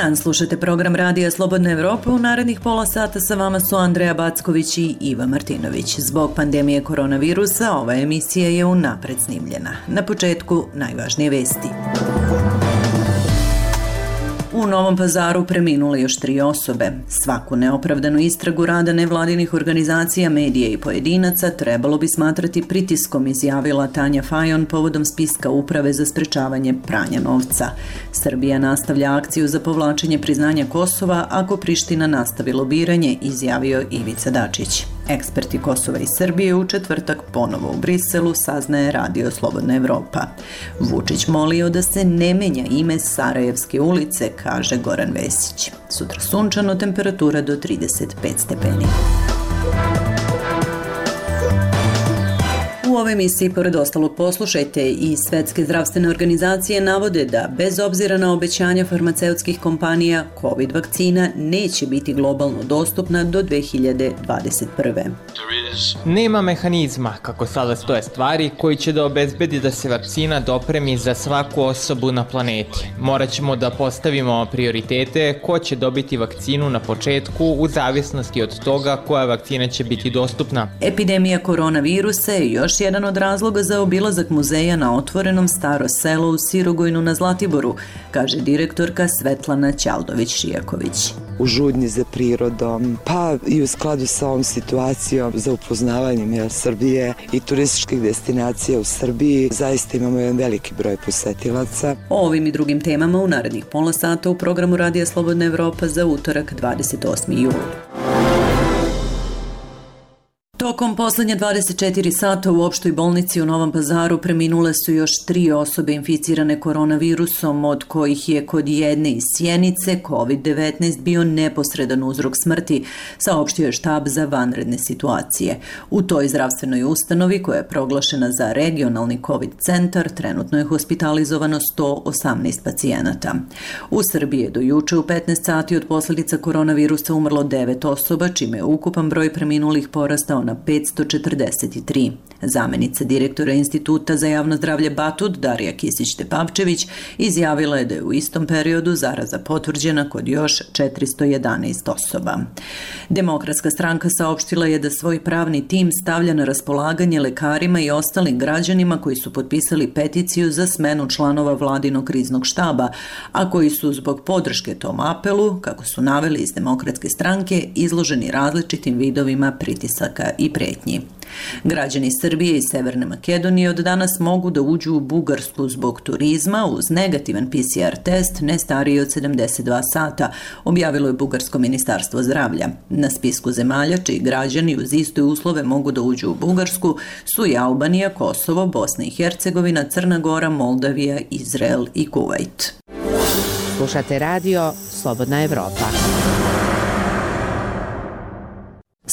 dan, slušate program Radija Slobodna Evropa. U narednih pola sata sa vama su Andreja Backović i Iva Martinović. Zbog pandemije koronavirusa ova emisija je unapred snimljena. Na početku najvažnije vesti. U Novom Pazaru preminule još 3 osobe. Svaku neopravdanu istragu rada nevladinih organizacija, medija i pojedinaca trebalo bi smatrati pritiskom, izjavila Tanja Fajon povodom spiska Uprave za sprečavanje pranja novca. Srbija nastavlja akciju za povlačenje priznanja Kosova ako Priština nastavi lobiranje, izjavio Ivica Dačić. Eksperti Kosova i Srbije u četvrtak ponovo u Briselu, saznaje Radio Slobodna Evropa. Vučić molio da se ne menja ime Sarajevske ulice, kaže Goran Vesić. Sutra sunčano, temperatura do 35 stepeni. U ovoj emisiji, pored ostalog, poslušajte i Svetske zdravstvene organizacije navode da, bez obzira na obećanja farmaceutskih kompanija, COVID vakcina neće biti globalno dostupna do 2021. Nema mehanizma, kako sada stoje stvari, koji će da obezbedi da se vakcina dopremi za svaku osobu na planeti. Morat ćemo da postavimo prioritete ko će dobiti vakcinu na početku u zavisnosti od toga koja vakcina će biti dostupna. Epidemija koronavirusa je još jedan od razloga za obilazak muzeja na otvorenom Staro selo u Sirogojnu na Zlatiboru, kaže direktorka Svetlana Ćaldović-Šijaković. U žudnji za prirodom, pa i u skladu sa ovom situacijom za upoznavanjem Srbije i turističkih destinacija u Srbiji, zaista imamo jedan veliki broj posetilaca. O ovim i drugim temama u narednih pola sata u programu Radija Slobodna Evropa za utorak 28. jul. Tokom poslednje 24 sata u opštoj bolnici u Novom Pazaru preminule su još 3 osobe inficirane koronavirusom, od kojih je kod jedne iz Sjenice COVID-19 bio neposredan uzrok smrti, saopštio je štab za vanredne situacije. U toj zdravstvenoj ustanovi, koja je proglašena za regionalni COVID centar, trenutno je hospitalizovano 118 pacijenata. U Srbiji je do juče u 15 sati od posledica koronavirusa umrlo 9 osoba, čime je ukupan broj preminulih porastao na 543. Zamenica direktora Instituta za javno zdravlje Batut, Darija Kisić-Tepavčević, izjavila je da je u istom periodu zaraza potvrđena kod još 411 osoba. Demokratska stranka saopštila je da svoj pravni tim stavlja na raspolaganje lekarima i ostalim građanima koji su potpisali peticiju za smenu članova vladinog kriznog štaba, a koji su zbog podrške tom apelu, kako su naveli iz Demokratske stranke, izloženi različitim vidovima pritisaka i pretnji. Građani Srbije i Severne Makedonije od danas mogu da uđu u Bugarsku zbog turizma uz negativan PCR test ne stariji od 72 sata, objavilo je Bugarsko ministarstvo zdravlja. Na spisku zemalja čiji građani uz iste uslove mogu da uđu u Bugarsku su i Albanija, Kosovo, Bosna i Hercegovina, Crna Gora, Moldavija, Izrael i Kuvajt. Slušate radio Slobodna Evropa.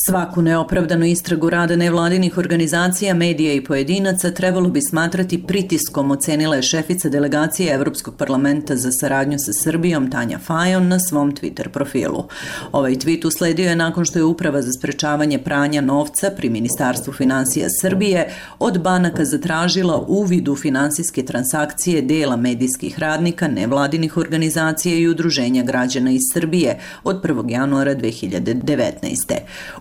Svaku neopravdanu istragu rada nevladinih organizacija, medija i pojedinaca trebalo bi smatrati pritiskom, ocenila je šefica delegacije Evropskog parlamenta za saradnju sa Srbijom Tanja Fajon na svom Twitter profilu. Ovaj tweet usledio je nakon što je Uprava za sprečavanje pranja novca pri Ministarstvu finansija Srbije od banaka zatražila uvid u finansijske transakcije dela medijskih radnika, nevladinih organizacija i udruženja građana iz Srbije od 1. januara 2019.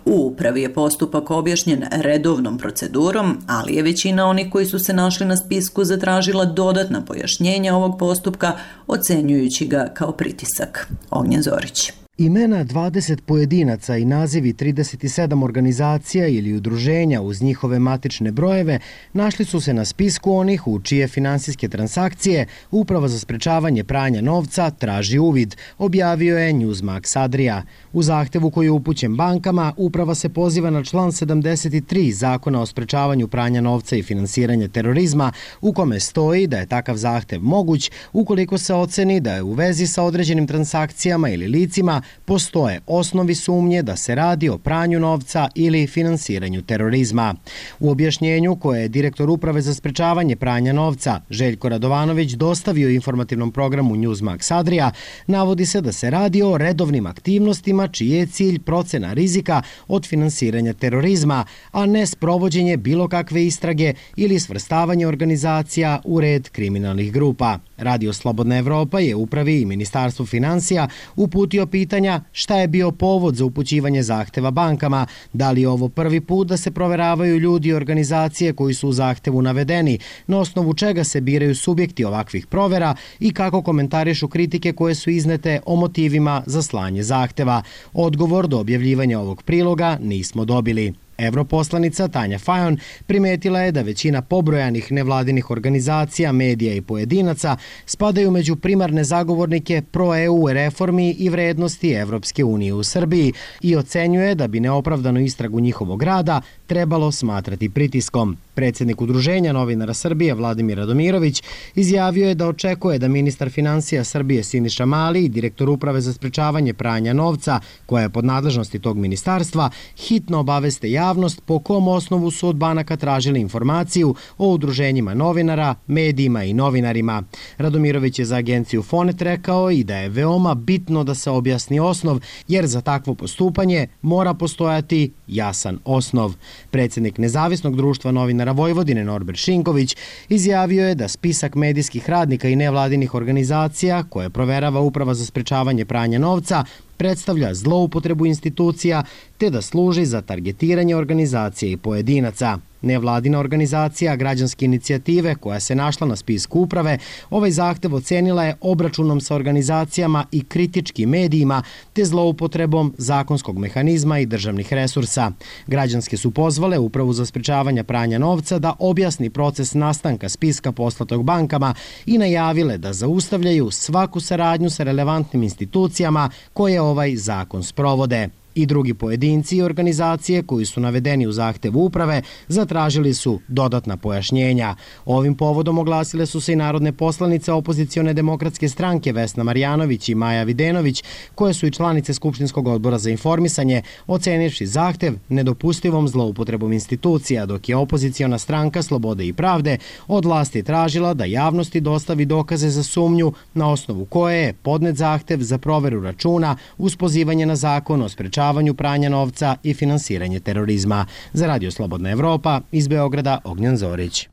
U upravi je postupak objašnjen redovnom procedurom, ali je većina onih koji su se našli na spisku zatražila dodatna pojašnjenja ovog postupka, ocenjujući ga kao pritisak. Ognjen Zorić. Imena 20 pojedinaca i nazivi 37 organizacija ili udruženja uz njihove matične brojeve našli su se na spisku onih u čije finansijske transakcije Uprava za sprečavanje pranja novca traži uvid, objavio je Newsmax Adria. U zahtevu koji je upućen bankama, Uprava se poziva na član 73 Zakona o sprečavanju pranja novca i finansiranja terorizma, u kome stoji da je takav zahtev moguć ukoliko se oceni da je u vezi sa određenim transakcijama ili licima postoje osnovi sumnje da se radi o pranju novca ili finansiranju terorizma. U objašnjenju koje je direktor Uprave za sprečavanje pranja novca Željko Radovanović dostavio informativnom programu Newsmax Adria, navodi se da se radi o redovnim aktivnostima čiji je cilj procena rizika od finansiranja terorizma, a ne sprovođenje bilo kakve istrage ili svrstavanje organizacija u red kriminalnih grupa. Radio Slobodna Evropa je upravi i Ministarstvu finansija uputio pitanja šta je bio povod za upućivanje zahteva bankama, da li je ovo prvi put da se proveravaju ljudi i organizacije koji su u zahtevu navedeni, na osnovu čega se biraju subjekti ovakvih provera i kako komentarišu kritike koje su iznete o motivima za slanje zahteva. Odgovor do objavljivanja ovog priloga nismo dobili. Europoslanica Tanja Fajon primetila je da većina pobrojanih nevladinih organizacija, medija i pojedinaca spadaju među primarne zagovornike pro-EU reformi i vrednosti Evropske unije u Srbiji i ocenjuje da bi neopravdanu istragu njihovog rada trebalo smatrati pritiskom. Predsjednik Udruženja novinara Srbije Vladimir Radomirović izjavio je da očekuje da ministar finansija Srbije Siniša Mali i direktor uprave za sprečavanje pranja novca, koja je pod nadležnosti tog ministarstva, hitno obaveste javnost po kom osnovu su od banaka tražili informaciju o udruženjima novinara, medijima i novinarima. Radomirović je za agenciju Fonet rekao i da je veoma bitno da se objasni osnov, jer za takvo postupanje mora postojati jasan osnov. Predsjednik Nezavisnog društva novinara Vojvodine Norbert Šinković izjavio je da spisak medijskih radnika i nevladinih organizacija koje proverava Uprava za sprečavanje pranja novca predstavlja zloupotrebu institucija te da služi za targetiranje organizacije i pojedinaca. Nevladina organizacija Građanske inicijative, koja se našla na spisku uprave, ovaj zahtev ocenila je obračunom sa organizacijama i kritičkim medijima te zloupotrebom zakonskog mehanizma i državnih resursa. Građanske su pozvale Upravu za sprečavanje pranja novca da objasni proces nastanka spiska poslatog bankama i najavile da zaustavljaju svaku saradnju sa relevantnim institucijama koje ovaj zakon sprovode. I drugi pojedinci i organizacije koji su navedeni u zahtevu uprave zatražili su dodatna pojašnjenja. Ovim povodom oglasile su se i narodne poslanice opozicione demokratske stranke Vesna Marjanović i Maja Videnović, koje su i članice Skupštinskog odbora za informisanje, ocenivši zahtev nedopustivom zloupotrebom institucija, dok je opoziciona stranka Slobode i pravde od vlasti tražila da javnosti dostavi dokaze za sumnju na osnovu koje je podnet zahtev za proveru računa uz pozivanje na zakon o sprečavanju pranja novca i finansiranje terorizma. Za Radio Slobodna Evropa iz Beograda Ognjan Zorić.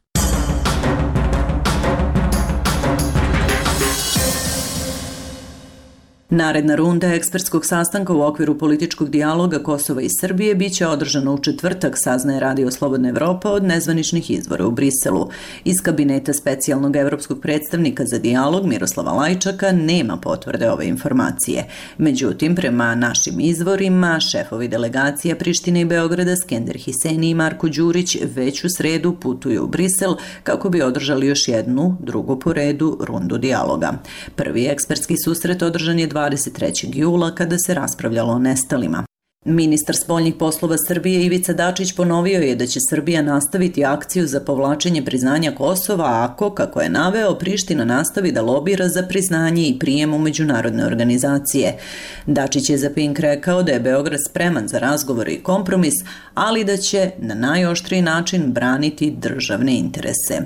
Naredna runda ekspertskog sastanka u okviru političkog dijaloga Kosova i Srbije biće održana u četvrtak, saznaje Radio Slobodna Evropa od nezvaničnih izvora u Briselu. Iz kabineta specijalnog evropskog predstavnika za dijalog Miroslava Lajčaka nema potvrde ove informacije. Međutim, prema našim izvorima, šefovi delegacija Prištine i Beograda Skender Hiseni i Marko Đurić već u sredu putuju u Brisel kako bi održali još jednu, drugu po redu, rundu dijaloga. Prvi ekspertski susret održan je 23. jula kada se raspravljalo o nestalima. Ministar spoljnih poslova Srbije Ivica Dačić ponovio je da će Srbija nastaviti akciju za povlačenje priznanja Kosova ako, kako je naveo, Priština nastavi da lobira za priznanje i prijem u međunarodne organizacije. Dačić je za Pink rekao da je Beograd spreman za razgovore i kompromis, ali da će na najoštriji način braniti državne interese.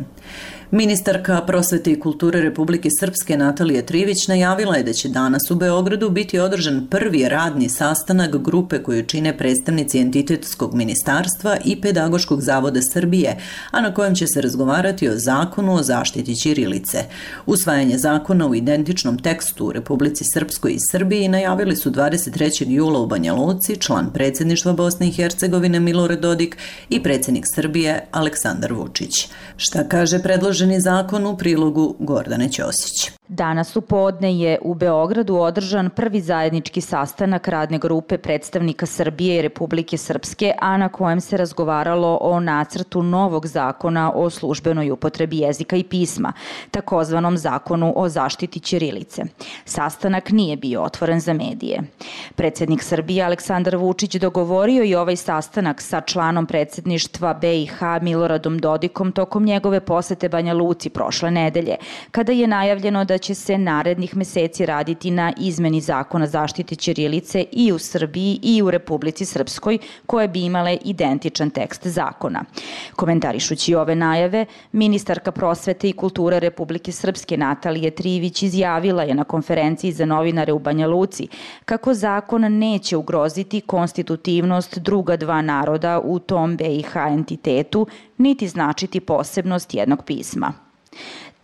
Ministarka prosvete i kulture Republike Srpske Natalija Trivić najavila je da će danas u Beogradu biti održan prvi radni sastanak grupe koju čine predstavnici Entitetskog ministarstva i Pedagoškog zavoda Srbije, a na kojem će se razgovarati o zakonu o zaštiti ćirilice. Usvajanje zakona u identičnom tekstu u Republici Srpskoj i Srbiji najavili su 23. jula u Banja Luci član predsjedništva Bosne i Hercegovine Milorad Dodik i predsjednik Srbije Aleksandar Vučić. Šta kaže predloženi zakon u prilogu Gordane Ćosić? Danas u podne je u Beogradu održan prvi zajednički sastanak radne grupe predstavnika Srbije i Republike Srpske, a na kojem se razgovaralo o nacrtu novog zakona o službenoj upotrebi jezika i pisma, takozvanom zakonu o zaštiti ćirilice. Sastanak nije bio otvoren za medije. Predsjednik Srbije Aleksandar Vučić dogovorio i ovaj sastanak sa članom predsjedništva BiH Miloradom Dodikom tokom njegove posete Banja Luci prošle nedelje, kada je najavljeno da će se narednih meseci raditi na izmeni zakona zaštite ćirilice i u Srbiji i u Republici Srpskoj, koje bi imale identičan tekst zakona. Komentarišući ove najave, ministarka prosvete i kulture Republike Srpske Natalija Trivić izjavila je na konferenciji za novinare u Banja Luci kako zakon neće ugroziti konstitutivnost druga dva naroda u tom BiH entitetu, niti značiti posebnost jednog pisma.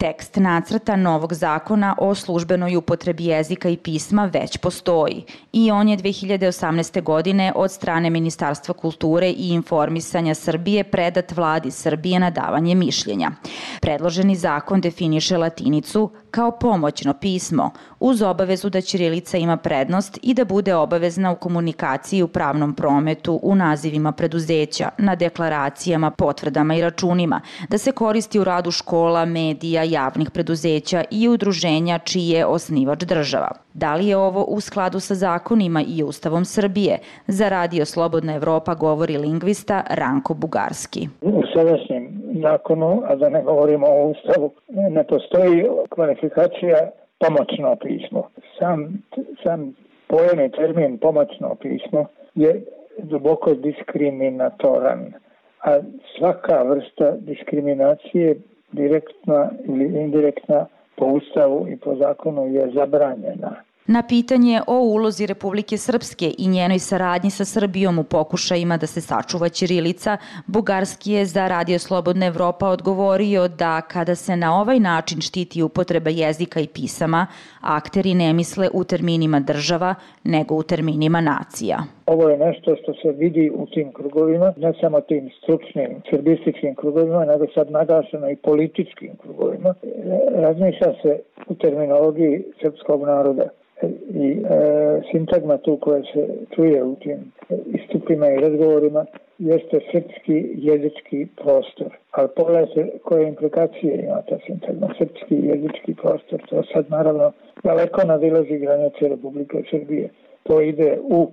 Tekst nacrta novog zakona o službenoj upotrebi jezika i pisma već postoji i on je 2018. godine od strane Ministarstva kulture i informisanja Srbije predat Vladi Srbije na davanje mišljenja. Predloženi zakon definiše latinicu kao pomoćno pismo, uz obavezu da ćirilica ima prednost i da bude obavezna u komunikaciji u pravnom prometu, u nazivima preduzeća, na deklaracijama, potvrdama i računima, da se koristi u radu škola, medija, javnih preduzeća i udruženja čiji je osnivač država. Da li je ovo u skladu sa zakonima i Ustavom Srbije? Za Radio Slobodna Evropa govori lingvista Ranko Bugarski. U sadašnjem zakonu, a da ne govorimo o Ustavu, ne postoji kvalifikacija pomoćno pismo. Sam pojam i termin pomoćno pismo je duboko diskriminatoran, a svaka vrsta diskriminacije, direktna ili indirektna, po Ustavu i po zakonu je zabranjena. Na pitanje o ulozi Republike Srpske i njenoj saradnji sa Srbijom u pokušajima da se sačuva ćirilica, Bugarski je za Radio Slobodna Evropa odgovorio da kada se na ovaj način štiti upotreba jezika i pisama, akteri ne misle u terminima država, nego u terminima nacija. Ovo je nešto što se vidi u tim krugovima, ne samo tim stručnim srbističkim krugovima, nego sad naglašeno i političkim krugovima. Razmišlja se u terminologiji srpskog naroda i sintagma tu koja se čuje u tim istupima i razgovorima jeste srpski jezički prostor. Ali pogledajte koje implikacije ima ta sintagma, srpski jezički prostor. To sad naravno daleko nadilazi granice Republike Srbije. To ide u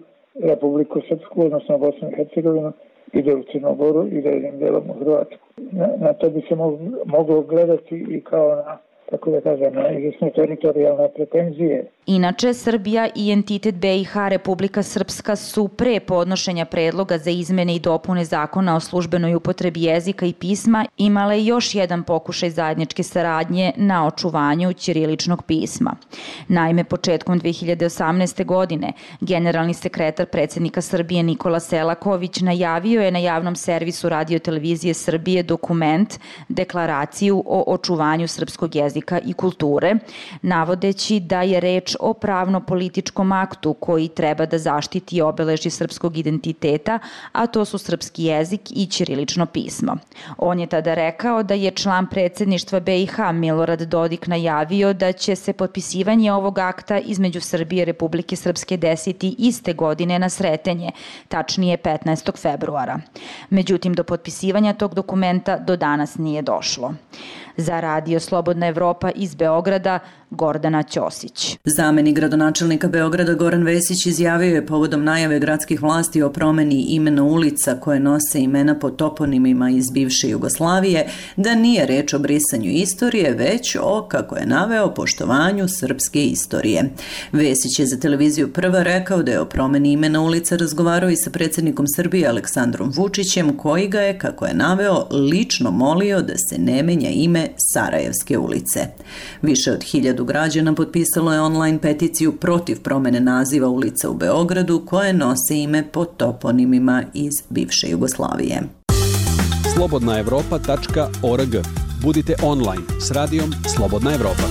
Republiku Srpsku, odnosno Bosnu i Hercegovinu, ide u Crnogoru, ide jednim delom u Hrvatsku. Na to bi se moglo gledati i kao na, tako da kažem, na izvesne teritorijalne pretenzije. Inače, Srbija i entitet BiH Republika Srpska su pre podnošenja predloga za izmene i dopune zakona o službenoj upotrebi jezika i pisma imale još jedan pokušaj zajedničke saradnje na očuvanju ćiriličnog pisma. Naime, početkom 2018. godine generalni sekretar predsjednika Srbije Nikola Selaković najavio je na javnom servisu Radio-televizije Srbije dokument, deklaraciju o očuvanju srpskog jezika i kulture, navodeći da je reč o pravno-političkom aktu koji treba da zaštiti obeležje srpskog identiteta, a to su srpski jezik i ćirilično pismo. On je tada rekao da je član predsjedništva BiH Milorad Dodik najavio da će se potpisivanje ovog akta između Srbije i Republike Srpske desiti iste godine na Sretenje, tačnije 15. februara. Međutim, do potpisivanja tog dokumenta do danas nije došlo. Za Radio Slobodna Evropa iz Beograda, Gordana Ćosić. Zamenik gradonačelnika Beograda Goran Vesić izjavio je povodom najave gradskih vlasti o promeni imena ulica koje nose imena po toponimima iz bivše Jugoslavije, da nije reč o brisanju istorije, već o, kako je naveo, poštovanju srpske istorije. Vesić je za televiziju Prva rekao da je o promeni imena ulica razgovarao i sa predsjednikom Srbije Aleksandrom Vučićem, koji ga je, kako je naveo, lično molio da se ne menja ime Sarajevske ulice. Više od 1000 građana potpisalo je online peticiju protiv promene naziva ulica u Beogradu koje nose ime po toponimima iz bivše Jugoslavije. slobodnaevropa.org. Budite online s radijom Slobodna Evropa.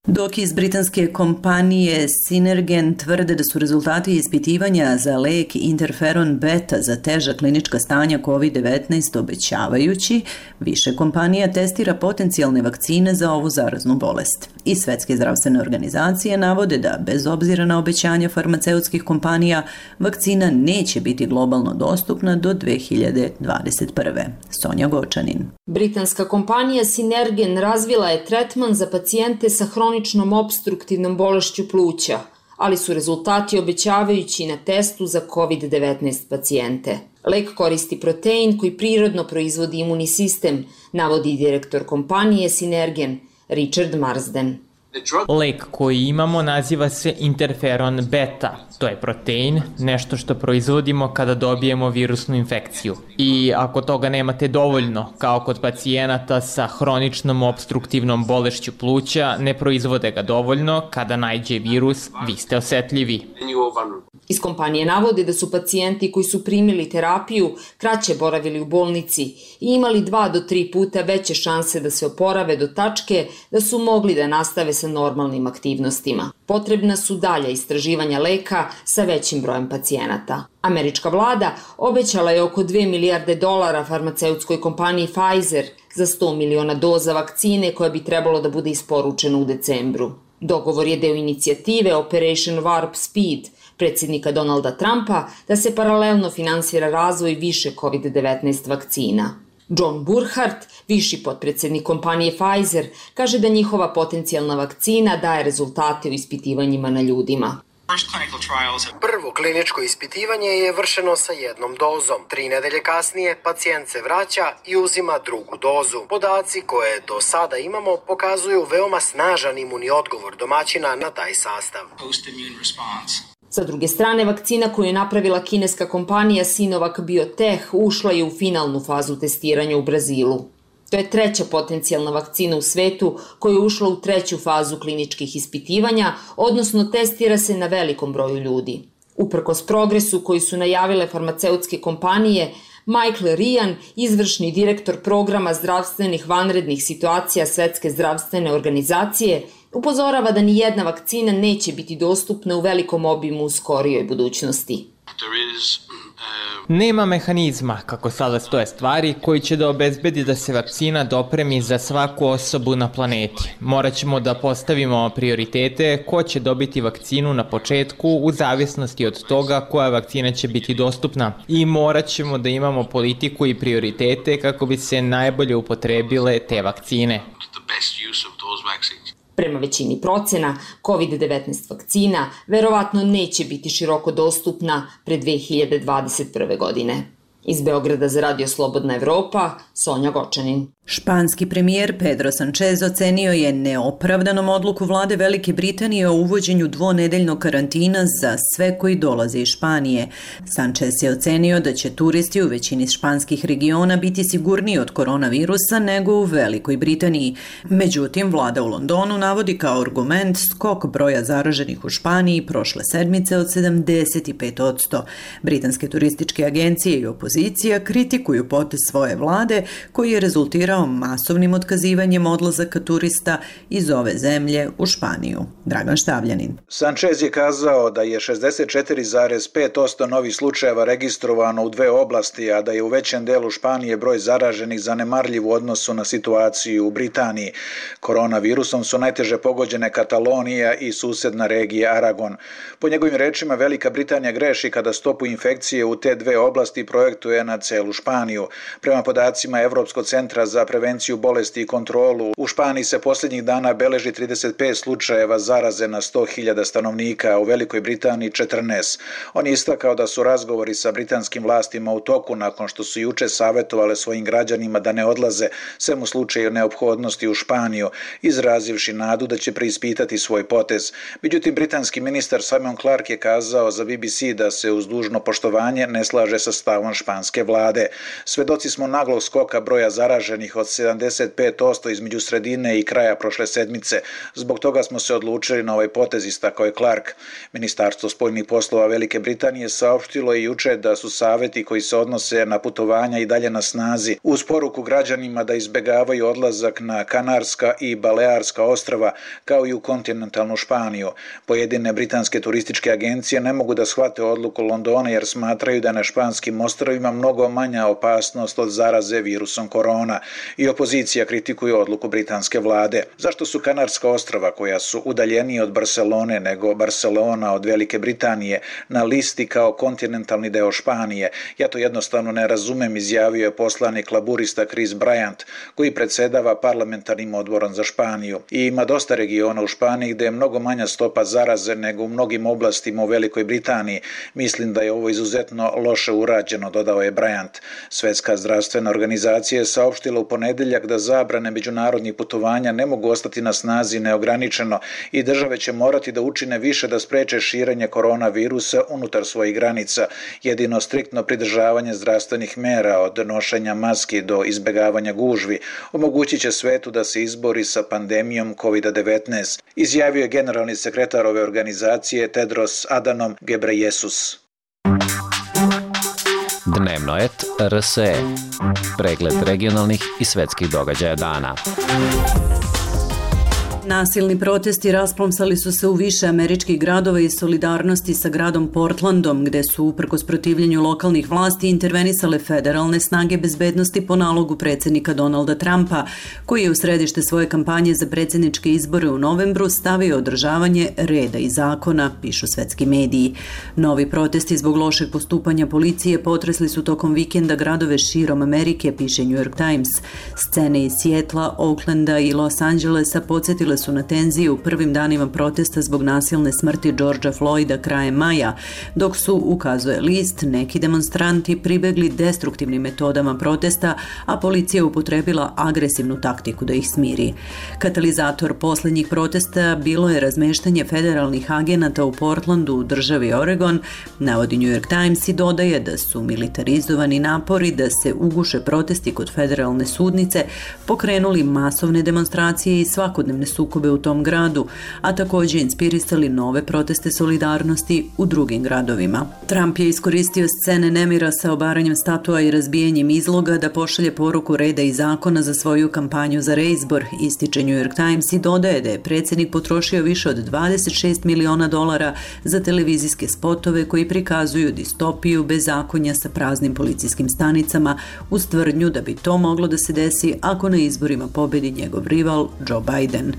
Dok iz britanske kompanije Synergen tvrde da su rezultati ispitivanja za lek interferon beta za teža klinička stanja COVID-19 obećavajući, više kompanija testira potencijalne vakcine za ovu zaraznu bolest. I Svetske zdravstvene organizacije navode da, bez obzira na obećanja farmaceutskih kompanija, vakcina neće biti globalno dostupna do 2021. Sonja Gočanin. Britanska kompanija Synergen razvila je tretman za pacijente sa hroničnom opstruktivnom bolešću pluća, ali su rezultati obećavajući na testu za COVID-19 pacijente. Lek koristi protein koji prirodno proizvodi imunni sistem, navodi direktor kompanije Synergen, Richard Marsden. Lek koji imamo naziva se interferon beta. To je protein, nešto što proizvodimo kada dobijemo virusnu infekciju. I ako toga nemate dovoljno, kao kod pacijenata sa hroničnom obstruktivnom bolešću pluća, ne proizvode ga dovoljno, kada naiđe virus, vi ste osetljivi. Iz kompanije navode da su pacijenti koji su primili terapiju kraće boravili u bolnici i imali 2 do 3 puta veće šanse da se oporave do tačke da su mogli da nastave sa normalnim aktivnostima. Potrebna su dalja istraživanja leka sa većim brojem pacijenata. Američka vlada obećala je oko $2 milijarde farmaceutskoj kompaniji Pfizer za 100 miliona doza vakcine koja bi trebalo da bude isporučena u decembru. Dogovor je deo inicijative Operation Warp Speed predsjednika Donalda Trumpa da se paralelno finansira razvoj više COVID-19 vakcina. John Burkhardt, viši potpredsjednik kompanije Pfizer, kaže da njihova potencijalna vakcina daje rezultate u ispitivanjima na ljudima. Prvo kliničko ispitivanje je vršeno sa 1 dozom. 3 nedelje kasnije pacijent se vraća i uzima drugu dozu. Podaci koje do sada imamo pokazuju veoma snažan imunni odgovor domaćina na taj sastav. Sa druge strane, vakcina koju je napravila kineska kompanija Sinovac Biotech ušla je u finalnu fazu testiranja u Brazilu. To je 3. potencijalna vakcina u svetu koja je ušla u 3. fazu kliničkih ispitivanja, odnosno testira se na velikom broju ljudi. Uprkos progresu koji su najavile farmaceutske kompanije, Michael Ryan, izvršni direktor programa zdravstvenih vanrednih situacija Svetske zdravstvene organizacije, upozorava da ni jedna vakcina neće biti dostupna u velikom obimu u skorijoj budućnosti. Nema mehanizma, kako sada stoje stvari, koji će da obezbedi da se vakcina dopremi za svaku osobu na planeti. Morat ćemo da postavimo prioritete ko će dobiti vakcinu na početku u zavisnosti od toga koja vakcina će biti dostupna. I morat ćemo da imamo politiku i prioritete kako bi se najbolje upotrebile te vakcine. Prema većini procena, COVID-19 vakcina verovatno neće biti široko dostupna pre 2021. godine. Iz Beograda za Radio Slobodna Evropa, Sonja Gočanin. Španski premijer Pedro Sanchez ocenio je neopravdanom odluku vlade Velike Britanije o uvođenju 2-nedeljnog karantina za sve koji dolaze iz Španije. Sanchez je ocenio da će turisti u većini španskih regiona biti sigurniji od koronavirusa nego u Velikoj Britaniji. Međutim, vlada u Londonu navodi kao argument skok broja zaraženih u Španiji prošle sedmice od 75%. Britanske turističke agencije i opozicija kritikuju potez svoje vlade koji je rezultirao masovnim otkazivanjem odlazaka turista iz ove zemlje u Španiju. Dragan Štavljanin. Sanchez je kazao da je 64,5% novih slučajeva registrovano u 2 oblasti, a da je u većem delu Španije broj zaraženih zanemarljiv u odnosu na situaciju u Britaniji. Koronavirusom su najteže pogođene Katalonija i susedna regija Aragon. Po njegovim rečima, Velika Britanija greši kada stopu infekcije u te 2 oblasti projektuje na celu Španiju. Prema podacima Evropskog centra za prevenciju bolesti i kontrolu, u Španiji se posljednjih dana beleži 35 slučajeva zaraze na 100.000 stanovnika, a u Velikoj Britaniji 14. On je istakao da su razgovori sa britanskim vlastima u toku nakon što su juče savjetovale svojim građanima da ne odlaze, sem u slučaju neophodnosti u Španiju, izrazivši nadu da će preispitati svoj potez. Međutim, britanski ministar Simon Clarke je kazao za BBC da se uz dužno poštovanje ne slaže sa stavom španske vlade. Svedoci smo naglog skoka broja zaraženih od 75% između sredine i kraja prošle sedmice. Zbog toga smo se odlučili na ovaj potez, istakao je Clark. Ministarstvo spoljnih poslova Velike Britanije saopštilo i juče da su savjeti koji se odnose na putovanja i dalje na snazi, uz poruku građanima da izbegavaju odlazak na Kanarska i Balearska ostrva, kao i u kontinentalnu Španiju. Pojedine britanske turističke agencije ne mogu da shvate odluku Londona jer smatraju da na španskim ostrvima mnogo manja opasnost od zaraze virusom korona. I opozicija kritikuje odluku britanske vlade. Zašto su Kanarska ostrva, koja su udaljenije od Barcelone nego Barcelona od Velike Britanije, na listi kao kontinentalni deo Španije? Ja to jednostavno ne razumem, izjavio je poslanik laburista Chris Bryant, koji predsedava parlamentarnim odborom za Španiju. I ima dosta regiona u Španiji gde je mnogo manja stopa zaraze nego u mnogim oblastima u Velikoj Britaniji. Mislim da je ovo izuzetno loše urađeno, dodao dodao je Bryant. Svetska zdravstvena organizacija je saopštila u ponedeljak da zabrane međunarodnih putovanja ne mogu ostati na snazi neograničeno i države će morati da učine više da spreče širenje koronavirusa unutar svojih granica. Jedino striktno pridržavanje zdravstvenih mera od nošenja maski do izbegavanja gužvi omogućit će svetu da se izbori sa pandemijom COVID-19, izjavio je generalni sekretar ove organizacije Tedros Adhanom Ghebreyesus. Dnevnoet RSE. Pregled regionalnih i svetskih događaja dana. Nasilni protesti rasplomsali su se u više američkih gradova i solidarnosti sa gradom Portlandom, gde su uprkos protivljenju lokalnih vlasti intervenisale federalne snage bezbednosti po nalogu predsjednika Donalda Trumpa, koji je u središte svoje kampanje za predsjedničke izbore u novembru stavio održavanje reda i zakona, pišu svetski mediji. Novi protesti zbog lošeg postupanja policije potresli su tokom vikenda gradove širom Amerike, piše New York Times. Scene iz Sijetla, Oaklanda i Los Angelesa podsjetile su na tenzije u prvim danima protesta zbog nasilne smrti Georgea Floyda krajem maja, dok su, ukazuje list, neki demonstranti pribegli destruktivnim metodama protesta, a policija upotrebila agresivnu taktiku da ih smiri. Katalizator posljednjih protesta bilo je razmeštanje federalnih agenata u Portlandu u državi Oregon, navodi New York Times i dodaje da su militarizovani napori da se uguše protesti kod federalne sudnice pokrenuli masovne demonstracije i svakodnevne sukobe u tom gradu, a također inspirisali nove proteste solidarnosti u drugim gradovima. Trump je iskoristio scene nemira sa obaranjem statua i razbijanjem izloga da pošalje poruku reda i zakona za svoju kampanju za reizbor, ističe New York Times i dodaje da je predsjednik potrošio više od $26 miliona za televizijske spotove koji prikazuju distopiju bezakonja sa praznim policijskim stanicama uz tvrdnju da bi to moglo da se desi ako na izborima pobedi njegov rival Joe Biden.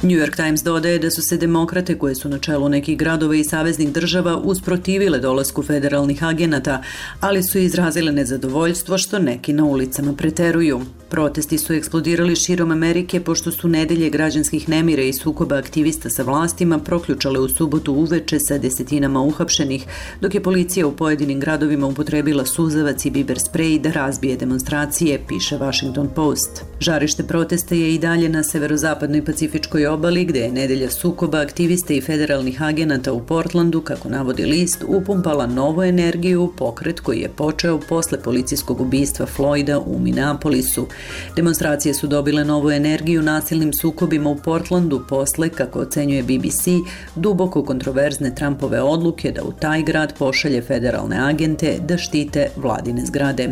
New York Times dodaje da su se demokrate koje su na čelu nekih gradova i saveznih država usprotivile dolasku federalnih agenata, ali su izrazile nezadovoljstvo što neki na ulicama preteruju. Protesti su eksplodirali širom Amerike pošto su nedelje građanskih nemira i sukoba aktivista sa vlastima proključale u subotu uveče sa desetinama uhapšenih, dok je policija u pojedinim gradovima upotrebila suzavac i biber sprej da razbije demonstracije, piše Washington Post. Žarište protesta je i dalje na severozapadnoj Pacifičkoj obali, gde je nedelja sukoba aktivista i federalnih agenata u Portlandu, kako navodi list, upumpala novu energiju u pokret koji je počeo posle policijskog ubistva Floyda u Minneapolisu. Demonstracije su dobile novu energiju nasilnim sukobima u Portlandu posle, kako ocenjuje BBC, duboko kontroverzne Trumpove odluke da u taj grad pošalje federalne agente da štite vladine zgrade.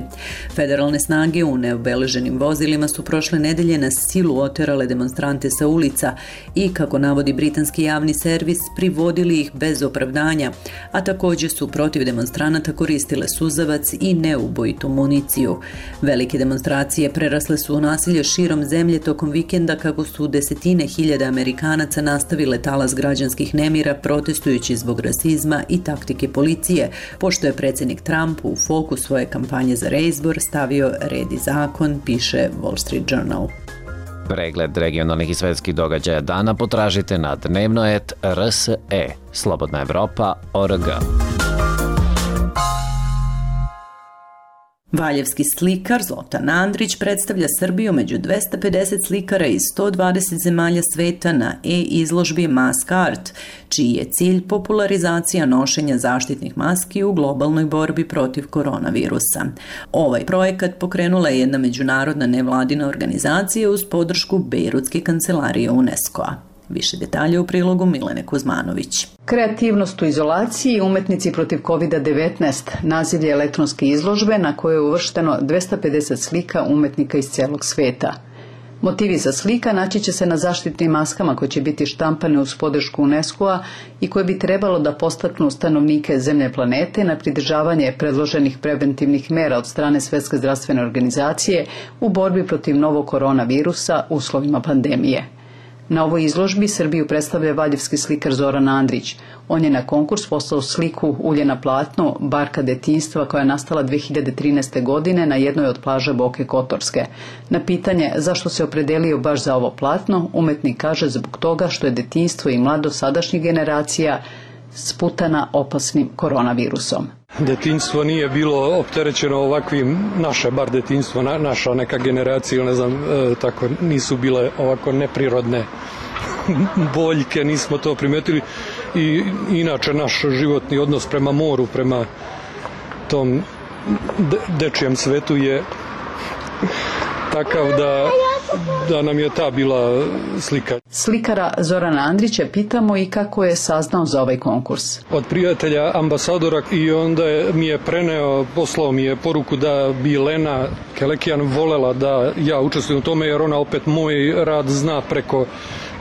Federalne snage u neobeleženim vozilima su prošle nedelje na silu oterale demonstrante sa ulica i, kako navodi britanski javni servis, privodili ih bez opravdanja, a također su protiv demonstranata koristile suzavac i neubojitu municiju. Velike demonstracije prerasle su u nasilje širom zemlje tokom vikenda kako su desetine hiljada Amerikanaca nastavile talas građanskih nemira protestujući zbog rasizma i taktike policije, pošto je predsjednik Trump u fokus svoje kampanje za reizbor stavio red i zakon, piše Wall Street Journal. Pregled regionalnih i svetskih događaja dana potražite na Dnevnoet RSE, Slobodna Evropa.org. Valjevski slikar Zlotan Andrić predstavlja Srbiju među 250 slikara iz 120 zemalja sveta na e-izložbi Mask Art, čiji je cilj popularizacija nošenja zaštitnih maski u globalnoj borbi protiv koronavirusa. Ovaj projekat pokrenula je jedna međunarodna nevladina organizacija uz podršku Bejrutske kancelarije UNESCO-a. Više detalja u prilogu Milene Kuzmanović. Kreativnost u izolaciji i umetnici protiv COVID-19 naziv je elektronske izložbe na kojoj je uvršteno 250 slika umetnika iz celog sveta. Motivi za slika naći će se na zaštitnim maskama koje će biti štampane uz podršku UNESCO-a i koje bi trebalo da podstaknu stanovnike zemlje planete na pridržavanje predloženih preventivnih mera od strane Svetske zdravstvene organizacije u borbi protiv novog koronavirusa u uslovima pandemije. Na ovoj izložbi Srbiju predstavlja valjevski slikar Zoran Andrić. On je na konkurs poslao sliku Ulje na platnu, barka detinjstva koja je nastala 2013. godine na jednoj od plaža Boke Kotorske. Na pitanje zašto se opredelio baš za ovo platno, umetnik kaže zbog toga što je detinjstvo i mladost sadašnjih generacija sputana opasnim koronavirusom. detinjstvo nije bilo opterećeno ovakvim, naše bar detinjstvo, naša neka generacija ili ne znam, tako nisu bile ovako neprirodne boljke, nismo to primetili i inače naš životni odnos prema moru, prema tom dečijem svetu je takav da nam je ta bila slika. Slikara Zorana Andrića pitamo i kako je saznao za ovaj konkurs. Od prijatelja ambasadora i onda mi je poslao mi je poruku da bi Lena Kelekijan volela da ja učestvujem u tome jer ona opet moj rad zna preko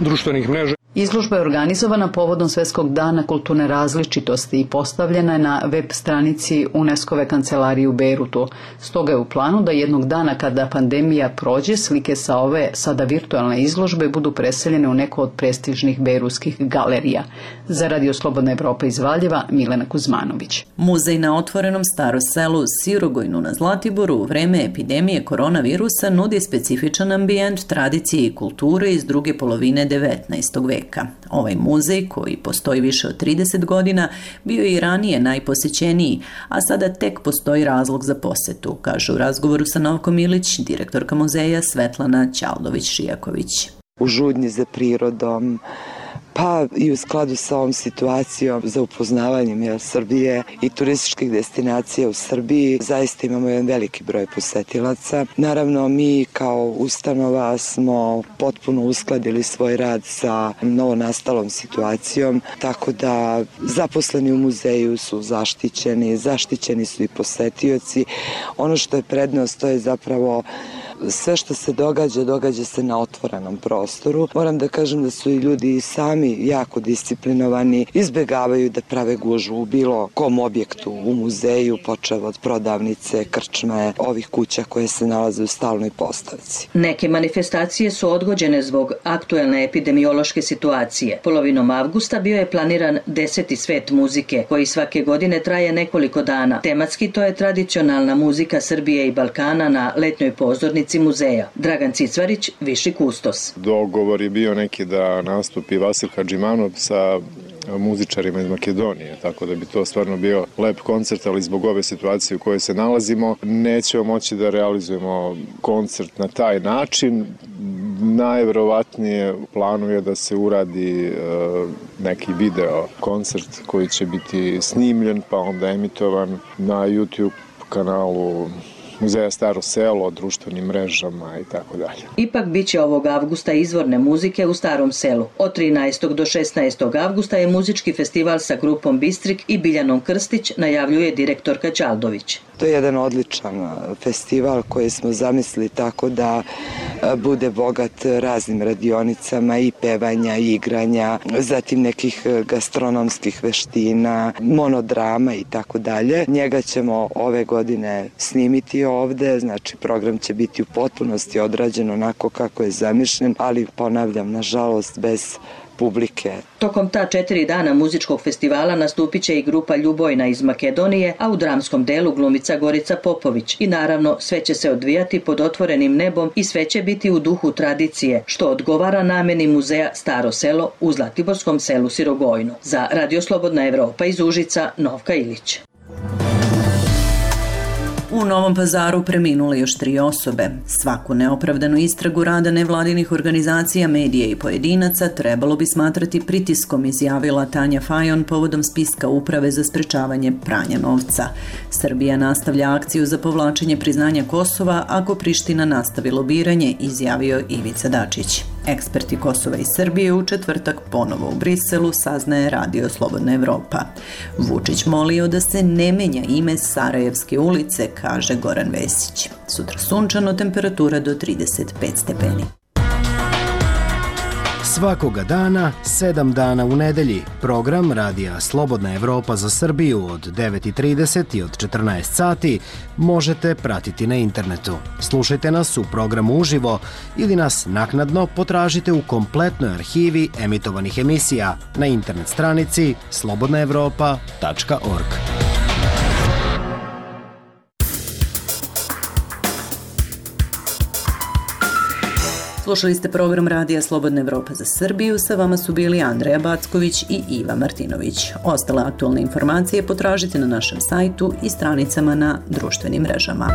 društvenih mreža. Izložba je organizovana povodom Svetskog dana kulturne različitosti i postavljena je na web stranici UNESCO-ve kancelarije u Bejrutu. Stoga je u planu da jednog dana kada pandemija prođe, slike sa ove sada virtualne izložbe budu preseljene u neko od prestižnih bejrutskih galerija. Za Radio Slobodna Evropa iz Valjeva, Milena Kuzmanović. Muzej na otvorenom Staro selu Sirogojnu na Zlatiboru u vreme epidemije koronavirusa nudi specifičan ambijent tradicije i kulture iz druge polovine 19. veka. Ovaj muzej, koji postoji više od 30 godina, bio je i ranije najposećeniji, a sada tek postoji razlog za posetu, kaže u razgovoru sa Novkom Ilić, direktorka muzeja Svetlana Ćaldović-Šijaković. U žudnji za prirodom, pa i u skladu sa ovom situacijom za upoznavanjem Srbije i turističkih destinacija u Srbiji, zaista imamo jedan veliki broj posetilaca. Naravno, mi kao ustanova smo potpuno uskladili svoj rad sa novonastalom situacijom, tako da zaposleni u muzeju su zaštićeni su i posetioci. Ono što je prednost, to je zapravo sve što se događa se na otvorenom prostoru. Moram da kažem da su i ljudi sami jako disciplinovani, izbegavaju da prave gužvu u bilo kom objektu u muzeju, počev od prodavnice, krčme, ovih kuća koje se nalaze u stalnoj postavci. Neke manifestacije su odgođene zbog aktuelne epidemiološke situacije. Polovinom avgusta bio je planiran 10. svet muzike, koji svake godine traje nekoliko dana. Tematski to je tradicionalna muzika Srbije i Balkana na letnjoj pozornici muzeja. Dragan Cicvarić, viši kustos. Dogovor je bio neki da nastupi Vasil Hadžimanov sa muzičarima iz Makedonije, tako da bi to stvarno bio lep koncert, ali zbog ove situacije u kojoj se nalazimo nećemo moći da realizujemo koncert na taj način. Najverovatnije u planu je da se uradi neki video koncert koji će biti snimljen pa onda emitovan na YouTube kanalu Muzeja Staro selo, društvenim mrežama i tako dalje. Ipak biće ovog avgusta izvorne muzike u Starom selu. Od 13. do 16. avgusta je muzički festival sa grupom Bistrik i Biljanom Krstić, najavljuje direktorka Ćaldović. To je jedan odličan festival koji smo zamislili tako da bude bogat raznim radionicama i pevanja i igranja, zatim nekih gastronomskih veština, monodrama i tako dalje. Njega ćemo ove godine snimiti ovde, znači program će biti u potpunosti odrađen onako kako je zamišljen, ali ponavljam, nažalost, bez publike. Tokom ta 4 dana muzičkog festivala nastupit će i grupa Ljubojna iz Makedonije, a u dramskom delu glumica Gorica Popović. I naravno, sve će se odvijati pod otvorenim nebom i sve će biti u duhu tradicije, što odgovara nameni muzeja Staro selo u Zlatiborskom selu Sirogojnu. Za Radio Slobodna Evropa iz Užica, Novka Ilić. U Novom Pazaru preminule još 3 osobe. Svaku neopravdanu istragu rada nevladinih organizacija, medija i pojedinaca trebalo bi smatrati pritiskom, izjavila Tanja Fajon povodom spiska Uprave za sprečavanje pranja novca. Srbija nastavlja akciju za povlačenje priznanja Kosova ako Priština nastavi lobiranje, izjavio Ivica Dačić. Eksperti Kosova i Srbije u četvrtak ponovo u Briselu, saznaje Radio Slobodna Evropa. Vučić molio da se ne menja ime Sarajevske ulice, kaže Goran Vesić. Sutra sunčano, temperatura do 35 stepeni. Svakoga dana, 7 dana u nedelji. Program Radija Slobodna Evropa za Srbiju od 9:30 i od 14 sati možete pratiti na internetu. Slušajte nas u programu uživo ili nas naknadno potražite u kompletnoj arhivi emitovanih emisija na internet stranici slobodnaevropa.org. Slušali ste program Radija Slobodna Evropa za Srbiju, sa vama su bili Andreja Backović i Iva Martinović. Ostale aktualne informacije potražite na našem sajtu i stranicama na društvenim mrežama.